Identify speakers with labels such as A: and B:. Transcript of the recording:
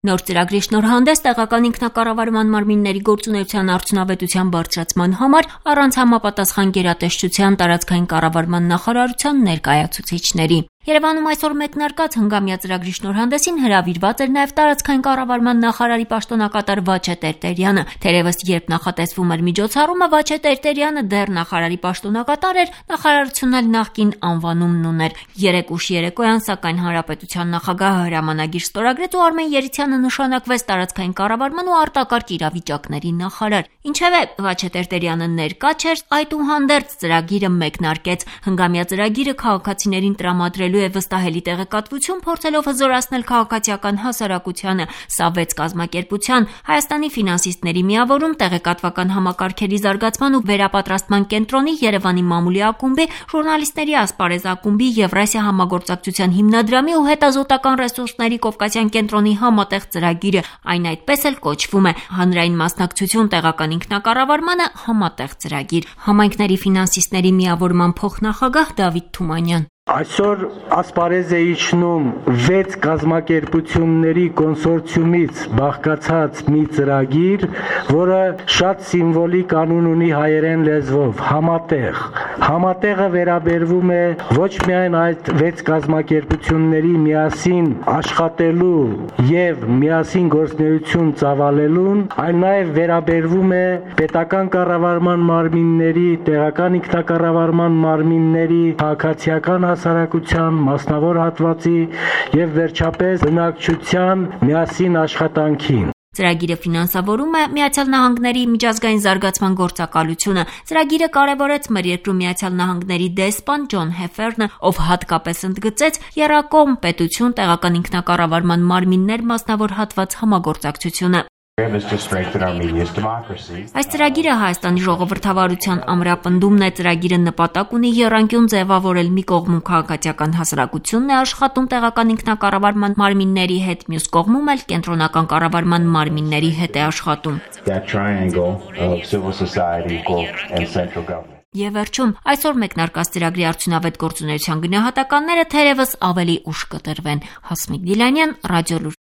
A: Նոր ծրագրի շնորհանդես տեղական ինքնակառավարման մարմինների գործունեության արդյունավետության բարձրացման համար առանց համապատասխան գերատեսչության տարածքային կառավարման նախարարության ներկայացուցիչների։ Երևանում այսօր մեկնարկած հնգամյա ծրագրի շնորհանդեսին հրավիրված էր նաև տարածքային կառավարման նախարարի պաշտոնակատար Վաչե Տերտերյանը։ Թերևս երբ նախատեսվում էր միջոցառումը, Վաչե Տերտերյանը դեռ նախարարի պաշտոնակատար էր, նախարարությունն էլ նախկին անվանումն ուներ։ 3 ուշ երեկոյան, սակայն հանրապետության նախագահը հրամանագիր ստորագրեց ու Արմեն Երիցյանը նշանակվեց տարածքային կառավարման ու արտակարգ իրավիճակների նախարար։ Ինչևէ, Վաչե Տերտերյանը ներկա չէր, այդուհանդերձ ծրագիրը մեկնարկեց։ Հնգամյա ծրագիրը քաղաքացիներին տրամադրելու է վստահելի տեղեկատվություն, փորձելով հզորացնել քաղաքացիական հասարակությանը։ Սա 6 կազմակերպության՝ Հայաստանի ֆինանսիստների միավորում, տեղեկատվական համակարգերի զարգացման ու վերապատրաստման կենտրոնի, Երևանի մամուլի ակումբի, ժուրնալիստների ասպարեզ ակումբի, Եվրասիա համագործակցության հիմնադրամի ու հետազոտական ռեսուրսների Կովկասյան կենտրոնի համատեղ ծրագիրը, այն այդպես էլ կոչվում է հանրային մասնակցություն տեղական ինքնակառավարմանը համատեղ ծրագիր։ Համայնքների ֆինանսիստների միավորման փոխնախագահ Դավիթ Թումանյան.
B: Այսօր ասպարեզ է իջնում 6 կազմակերպությունների կոնսորցիումից բաղկացած մի ծրագիր, որը շատ սիմվոլիկ անուն ունի հայերեն լեզվով՝ համատեղ։ Համատեղը վերաբերվում է ոչ միայն այդ 6 կազմակերպությունների միասին աշխատելու եւ միասին գործունեություն ծավալելուն, այլ նաեւ վերաբերվում է պետական կառավարման մարմինների, տեղական ինքնակառավարման մարմինների, քաղաքացիական հասարակության, մասնավոր հատվածի եւ վերջապես բնակչության միասին աշխատանքին։
A: Ծրագիրը ֆինանսավորում է Միացյալ Նահանգների միջազգային զարգացման գործակալությունը։ Ծրագիրը կարևորեց մեր երկրում Միացյալ Նահանգների դեսպան Ջոն Հեֆերնը, ով հատկապես ընդգծեց եռակողմ պետություն, տեղական ինքնակառավարման մարմիններ, մասնավոր հատված համագործակցությունը։ Այս ծրագիրը Հայաստանի ժողովրդավարության ամրապնդումն է։ Ծրագիրը նպատակ ունի եռանկյուն ձևավորել մի կողմում քաղաքացիական հասարակությունն է աշխատում տեղական ինքնակառավարման մարմինների հետ, մյուս կողմում էլ կենտրոնական կառավարման մարմինների հետ է աշխատում։ Եվ վերջում, այսօր մեկնարկած ծրագրի արդյունավետ գործունեության գնահատականները թերևս ավելի ուշ կտրվեն։ Հասմիկ Դիլանյան, Ռադիոլուր։